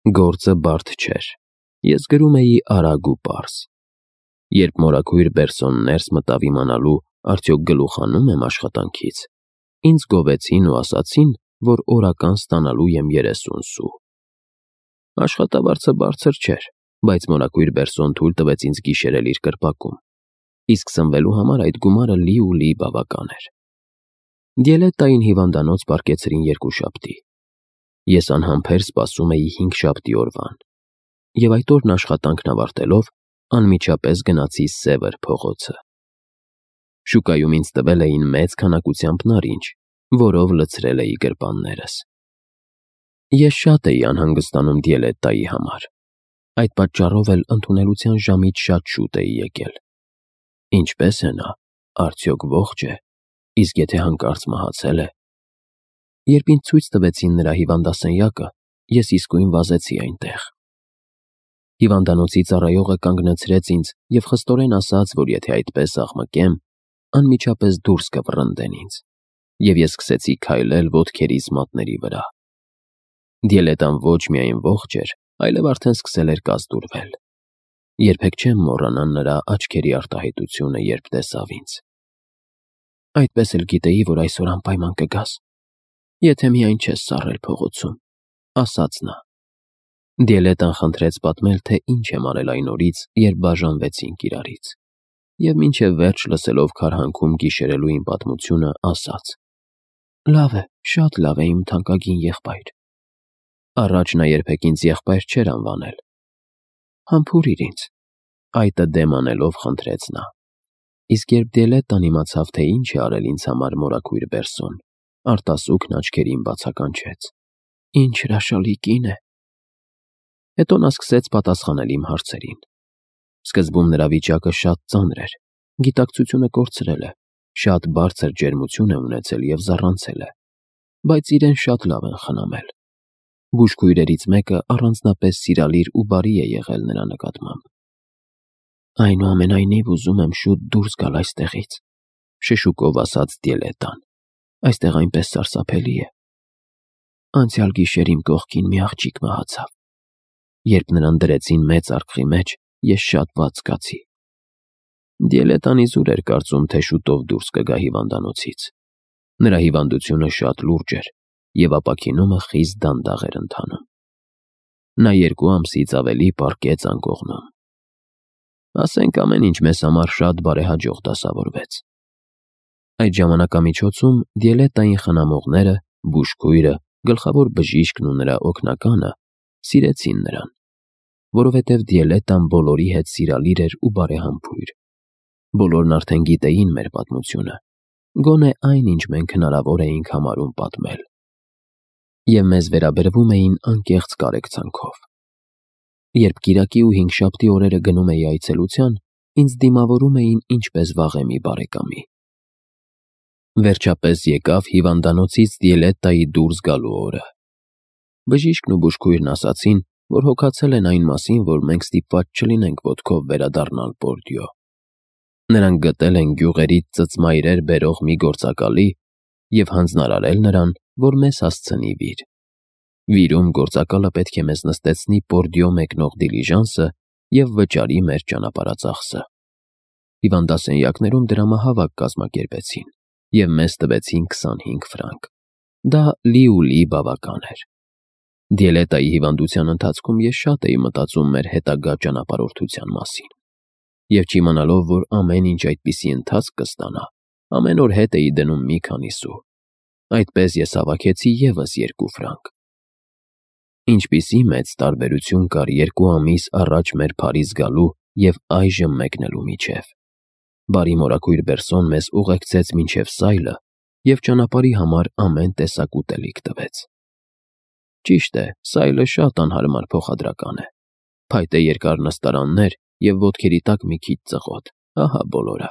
Գործը բարդ չէր, ես գրում էի արագ ու պարզ։ Երբ մորաքույր Բերսոն ներս մտավ իմանալու, արդյոք գլուխ հանում եմ աշխատանքից, ինձ գովեցին ու ասացին, որ օրական ստանալու եմ 30 սու։ Աշխատավարձը բարձր չէր, բայց մորաքույր Բերսոն թույլ տվեց ինձ գիշերել իր կրպակում, իսկ սնվելու համար այդ գումարը լի բավական էր։ Դիելետային հիվանդանոց պառկեցրին 2 շաբթի։ Ես անհամբեր սպասում էի 5 շաբթի օրվան, և այդ օրն աշխատանքն ավարտելով, անմիջապես գնացի Սևր փողոցը։ Շուկայում ինձ տվել էին մեծ քանակությամբ նարինջ, որով լցրել էի գրպաններս։ Ես շատ էի անհանգստանում Դիելետայի համար, այդ պատճառով էլ ընդունելության ժամից շատ շուտ էի եկել։ Ինչպե՞ս է նա, արդյոք ողջ է, իսկ եթե հանկարծ մահացել է։ Երբ ինձ ցույց տվեցին նրա հիվանդասենյակը, ես իսկույն վազեցի այնտեղ։ Հիվանդանոցի ծառայողը կանգնեցրեց ինձ և խստորեն ասաց, որ եթե այդպես աղմկեմ, անմիջապես դուրս կվռնդեն ինձ, և ես սկսեցի քայլել ոտքերիս մատների վրա։ Դիելետան ոչ միայն ողջ էր, այլև արդեն սկսել էր կազդուրվել։ Երբեք չեմ մոռանա նրա աչքերի արտահայտությունը, երբ տեսավ ինձ։ Այդպես էլ գիտեի, որ այսօր անպայման կգաս, եթե միայն չես սառել փողոցում, ասաց նա։ Դիելետան խնդրեց պատմել, թե ինչ եմ արել այն օրից, երբ բաժանվեցինք իրարից, և մինչև վերջ լսելով քարհանքում գիշերելու իմ պատմությունը, ասաց. Լավ է, շատ լավ է, իմ թանկագին եղբայր։ Առաջ նա երբեք ինձ եղբայր չէր անվանել։ Համբուրիր ինձ, այտը դեմ անելով խնդրեց նա։ Իսկ երբ Դիելետան իմացավ, թե ինչ է արել ինձ համար մորաքույր Բերսոն, արտասուքն աչքերին բացականչեց. Ինչ հրաշալի կին է։ Հետո նա սկսեց պատասխանել իմ հարցերին։ Սկզբում նրա վիճակը շատ ծանր էր, գիտակցությունը կորցրել է, շատ բարձր ջերմություն է ունեցել և զառանցել է, բայց իրեն շատ լավ են խնամել։ Բուժքույրերից մեկը առանձնապես սիրալիր ու բարի է եղել նրա նկատմամբ։ Այնուամենայնիվ ուզում եմ շուտ դուրս գալ այստեղից, շշուկով ասաց Դիելետան։ Այստեղ այնպես սարսափելի է։ Անցյալ գիշեր իմ կողքին մի աղջիկ մահացավ։ Երբ նրան դրեցին մեծ արկղի մեջ, ես շատ վատ զգացի։ Դիելետան իզուր էր կարծում, թե շուտով դուրս կգա հիվանդանոցից։ Նրա հիվանդությունը շատ լուրջ էր, և ապաքինումը խիստ դանդաղ էր ընթանում։ Նա 2 ամսից ավելի պառկեց անկողնում։ Ասենք ամեն ինչ մեզ համար շատ բարեհաջող դասավորվեց։ Այդ ժամանակամիջոցում Դիելետային խնամողները, բուժքույրը, գլխավոր բժիշկն ու նրա օգնականը սիրեցին նրան, որովհետև Դիելետան բոլորի հետ սիրալիր էր ու բարեհամբույր։ Բոլորն արդեն գիտեին մեր պատմությունը, գոնե այն, ինչ մենք հնարավոր էինք համարում պատմել, և մեզ վերաբերվում էին անկեղծ կարեկցանքով։ Երբ կիրակի ու հինգշաբթի օրերը գնում էի այցելության, ինձ դիմավորում էին ինչպես վաղեմի բարեկամի։ Վերջապես եկավ հիվանդանոցից Դիելետայի դուրս գալու օրը։ Բժիշկն ու բուժքույրն ասացին, որ հոգացել են այն մասին, որ մենք ստիպված չլինենք ոտքով վերադառնալ Բորդյո։ Նրանք գտել են գյուղերից ծծմայրեր բերող մի գործակալի և հանձնարարել նրան, որ մեզ հասցնի վիր։ Վիրում գործակալը պետք է մեզ նստեցնի Բորդյո մեկնող դիլիժանսը և վճարի մեր ճանապարհածախսը։ Հիվանդասենյակներում դրամահավաք կազմակերպեցին և մեզ տվեցին 25 ֆրանկ։ Դա լի բավական էր։ Դիելետայի հիվանդության ընթացքում ես շատ էի մտածում մեր հետագա ճանապարհորդության մասին, և չիմանալով, որ ամեն ինչ այդպիսի ընթացք կստանա, ամեն օր հետ էի դնում մի քանի սու։ Այդպես ես հավաքեցի ևս 2 ֆրանկ։ Ինչպիսի մեծ տարբերություն կար 2 ամիս առաջ մեր Փարիզ գալու և այժմ մեկնելու միջև։ Բարի մորաքույր Բերսոն մեզ ուղեկցեց մինչև Սայլը և ճանապարհի համար ամեն տեսակ ուտելիք տվեց։ Ճիշտ է, Սայլը շատ անհարմար փոխադրական է։ Փայտե երկար նստարաններ և ոտքերի տակ մի քիչ ծղոտ, ահա բոլորը,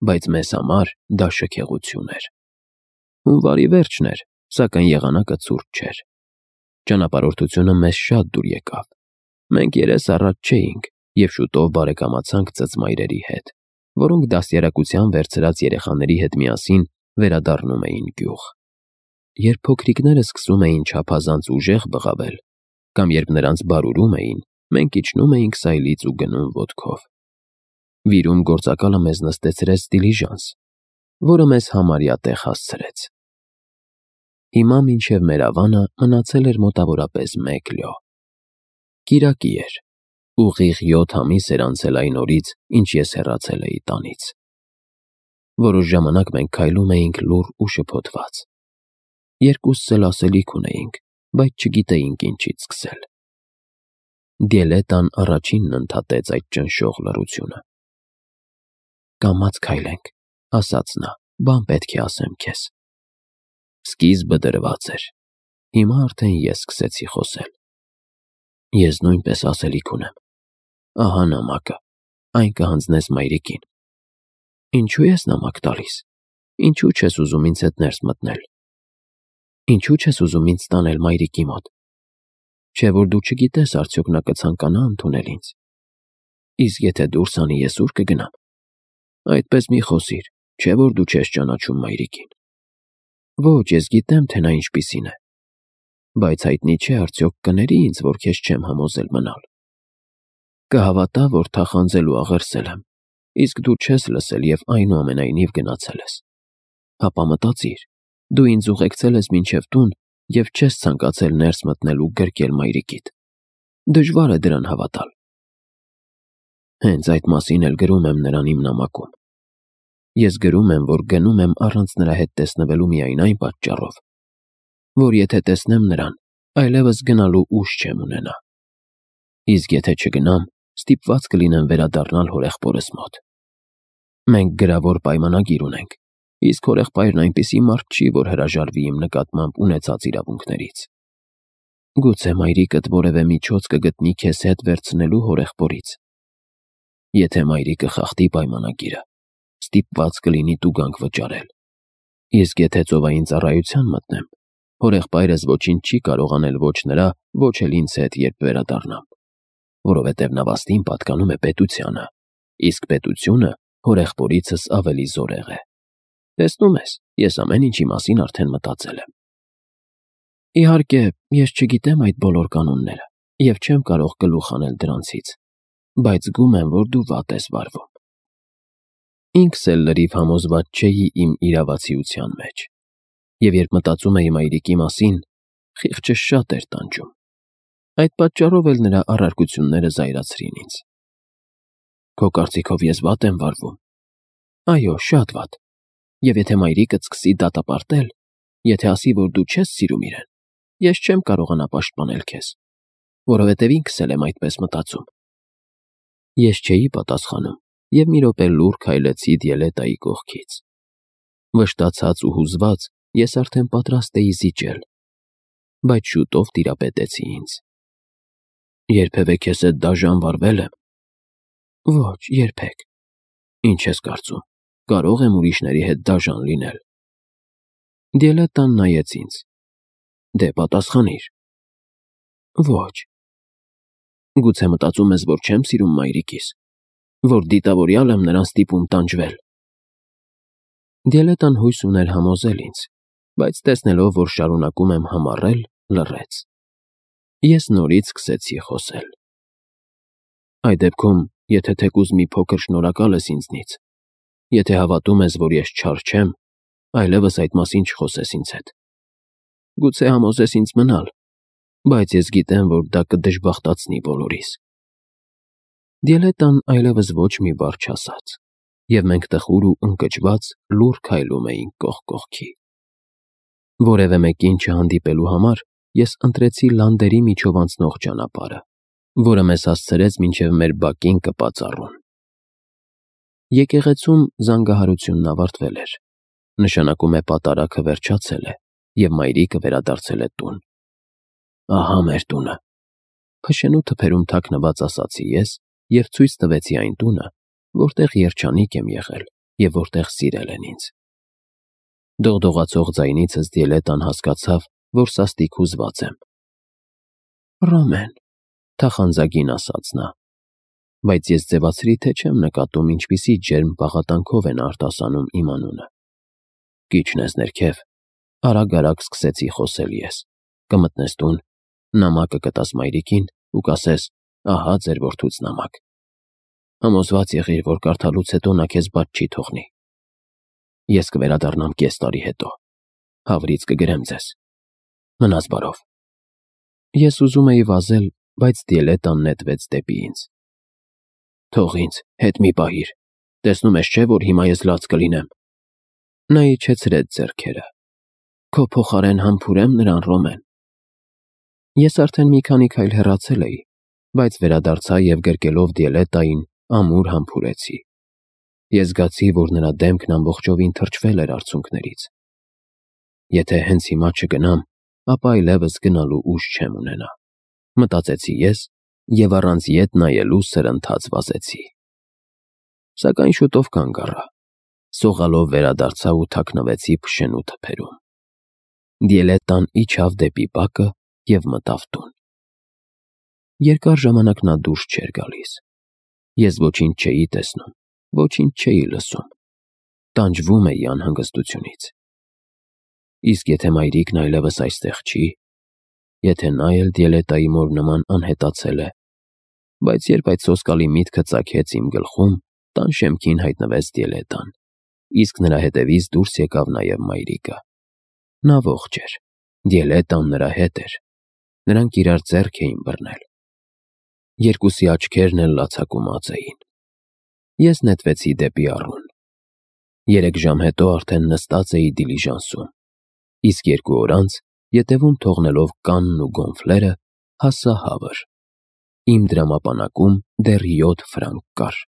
բայց մեզ համար դա շքեղություն էր։ Հունվարի վերջն էր, սակայն եղանակը ցուրտ չէր։ Ճանապարհորդությունը մեզ շատ դուր եկավ։ Մենք երես առաջ չէինք և շուտով բարեկամացանք ծծմայրերի հետ, որոնք դաստիարակության վերցրած երեխաների հետ միասին վերադառնում էին գյուղ։ Երբ փոքրիկները սկսում էին չափազանց ուժեղ բղավել, Կամ երբ նրանց բարուրում էին, մենք իջնում էինք սայլից ու գնում ոտքով։ Վիրում գործակալը մեզ նստեցրեց դիլիժանս, որը մեզ համարյա տեղ հասցրեց։ Հիմա մինչև մեր ավանը մնացել էր մոտավորապես 1 լյո։ Կիրակի էր, ուղիղ 7 ամիս էր անցել այն օրից, ինչ ես հեռացել էի տանից։ Որոշ ժամանակ մենք քայլում էինք լուռ ու շփոթված։ Երկուսս էլ ասելիք ունեինք, բայց չգիտեինք ինչից սկսել։ Դիելետան առաջինն ընդհատեց այդ ճնշող լռությունը։ «Կամաց քայլենք», ասաց նա, «բան պետք է ասեմ քեզ»։ Սկիզբը դրված էր։ Հիմա արդեն ես սկսեցի խոսել։ Ես նույնպես ասելիք ունեմ։ Ահա նամակը, այն կհանձնես մայրիկին։ Ինչու ես նամակ տալիս։ Ինչու չես ուզում ինձ հետ ներս մտնել։ Ինչու չես ուզում ինձ տանել մայրիկի մոտ։ Չէ՞ որ դու չգիտես արդյոք նա կցանկանա ընդունել ինձ։ Իսկ եթե դուրս անի, ես ուր կգնամ։ Այդպես մի խոսիր, չէ՞ որ դու չես ճանաչում մայրիկին։ Ոչ, ես գիտեմ, թե նա ինչպիսին է։ Բայց հայտնի չէ արդյոք կների ինձ, որ քեզ չեմ համոզել մնալ։ Կհավատա, որ թախանձել ու աղերսել եմ, իսկ դու չես լսել և այնուամենայնիվ գնացել ես։ Հապա մտածիր, դու ինձ ուղեկցել ես մինչև տուն և չես ցանկացել ներս մտնել ու գրկել մայրիկիդ։ Դժվար է դրան հավատալ։ Հենց այդ մասին էլ գրում եմ նրան իմ նամակում։ Ես գրում եմ, որ գնում եմ առանց նրա հետ տեսնվելու միայն այն պատճառով, որ եթե տեսնեմ նրան, այլևս գնալու ուժ չեմ ունենա։ Իսկ եթե չգնամ, ստիպված կլինեմ վերադառնալ հորեղբորս մոտ։ Մենք գրավոր պայմանագիր ունենք, իսկ հորեղբայրն այնպիսի մարդ չի, որ հրաժարվի իմ նկատմամբ ունեցած իրավունքներից։ Գուցե մայրիկդ որևէ միջոց կգտնի քեզ հետ վերցնելու հորեղբորից։ Եթե մայրիկը խախտի պայմանագիրը, ստիպված կլինի տուգանք վճարել։ Իսկ եթե ծովային ծառայության մտնեմ, հորեղբայրս ոչինչ չի կարող անել ոչ նրա, ոչ էլ ինձ հետ, երբ վերադառնամ, որովհետև նավաստին պատկանում է պետությանը, իսկ պետությունը հորեղբորիցս ավելի զորեղ է։ Տեսնում ես, ես ամեն ինչի մասին արդեն մտածել եմ։ Իհարկե, ես չգիտեմ այդ բոլոր կանոնները և չեմ կարող գլուխ անել դրանցից, բայց զգում եմ, որ դու վատ ես վարվում։ Ինքս էլ լրիվ համոզված չէի իմ իրավացիության մեջ, և երբ մտածում էի մայրիկի մասին, խիղճս շատ էր տանջում։ Այդ պատճառով էլ նրա առարկությունները զայրացրին ինձ։ Քո կարծիքով ես վատ եմ վարվում։ Այո, շատ վատ։ Եվ եթե մայրիկդ սկսի դատապարտել, եթե ասի, որ դու չես սիրում իրեն, ես չեմ կարողանա պաշտպանել քեզ, որովհետև ինքս էլ եմ այդպես մտածում։ Ես չէի պատասխանում և մի րոպե լուռ քայլեցի Դիելետայի կողքից։ Վշտացած ու հուզված ես արդեն պատրաստ էի զիջել, բայց շուտով տիրապետեցի ինձ։ Երբևէ քեզ հետ դաժան վարվե՞լ եմ։ Ոչ, երբեք։ Ինչ ես կարծում, կարող եմ ուրիշների հետ դաժան լինել։ Դիելետան նայեց ինձ։ Դե պատասխանիր։ Ոչ։ Գուցե մտածում ես, որ չեմ սիրում մայրիկիս, որ դիտավորյալ եմ նրան ստիպում տանջվել։ Դիելետան հույս ուներ համոզել ինձ, բայց տեսնելով, որ շարունակում եմ համառել, լռեց։ Ես նորից սկսեցի խոսել։ Այդ դեպքում, եթե թեկուզ մի փոքր շնորհակալ ես ինձնից, եթե հավատում ես, որ ես չար չեմ, այլևս այդ մասին չխոսես ինձ հետ։ Գուցե համոզես ինձ մնալ, բայց ես գիտեմ, որ դա կդժբախտացնի բոլորիս։ Դիելետան այլևս ոչ մի բառ չասաց, և մենք տխուր ու ընկճված լուռ քայլում էինք կողք կողքի։ Որևէ մեկին չհանդիպելու համար ես ընտրեցի լանդերի միջով անցնող ճանապարհը, որը մեզ հասցրեց մինչև մեր բակին կպած առուն։ Եկեղեցում զանգահարությունն ավարտվել էր, նշանակում է պատարագը վերջացել է, և մայրիկը վերադարձել է տուն։ Ահա մեր տունը, փշենու թփերում թաքնված ասացի ես և ցույց տվեցի այն տունը, որտեղ երջանիկ եմ եղել և որտեղ սիրել են ինձ։ Դողդողացող ձայնիցս Դիելետան հասկացավ, որ սաստիկ հուզված եմ։ Ռոմեն, թախանձագին ասաց նա, բայց ես ձևացրի, թե չեմ նկատում ինչպիսի ջերմ պաղատանքով են արտասանում իմ անունը։ Կիջնես ներքև, արագ-արագ սկսեցի խոսել ես, կմտնես տուն, նամակը կտաս մայրիկին ու կասես. ահա ձեր որդուց նամակ։ Համոզված եղիր, որ կարդալուց հետո նա քեզ բաց չի թողնի։ Ես կվերադառնամ կես տարի հետո։ Հավրից կգրեմ ձեզ։ Մնաս բարով։ Ես ուզում էի վազել, բայց Դիելետան նետվեց դեպի ինձ։ Թող ինձ, հետ մի պահիր։ Տեսնում ես չէ, որ հիմա ես լաց կլինեմ։ Նա իջեցրեց ձեռքերը։ Քո փոխարեն համբուրեմ նրան, Ռոմեն։ Ես արդեն մի քանի քայլ հեռացել էի, բայց վերադարձա և գրկելով Դիելետային ամուր համբուրեցի։ Ես զգացի, որ նրա դեմքն ամբողջովին թրջվել էր արցունքներից։ Եթե հենց հիմա չգնամ, ապա այլևս գնալու ուժ չեմ ունենա, մտածեցի ես և առանց ետ նայելու սրընթաց վազեցի։ Սակայն շուտով կանգ առա, սողալով վերադարձա ու թաքնվեցի փշենու թփերում։ Դիելետան իջավ դեպի բակը և մտավ տուն։ Երկար ժամանակ նա դուրս չէր գալիս։ Ես ոչինչ չէի տեսնում, ոչինչ չէի լսում, տանջվում էի անհանգստությունից։ Իսկ եթե մայրիկն այլևս այստեղ չի, եթե նա էլ Դիելետայի մոր նման անհետացել է, բայց երբ այդ սոսկալի միտքը ծագեց իմ գլխում, տան շեմքին հայտնվեց Դիելետան, իսկ նրա հետևից դուրս եկավ նաև մայրիկը։ Նա ողջ էր, Դիելետան նրա հետ էր, նրանք իրար ձեռք էին բռնել։ Երկուսի աչքերն էլ լացակումած էին։ Ես նետվեցի դեպի առուն։ 3 ժամ հետո արդեն նստած էի դիլիժանսում, իսկ 2 օր անց, ետևում թողնելով կանն ու գոնֆլերը, հասա Հավր։ Իմ դրամապանակում դեռ 7 ֆրանկ կար։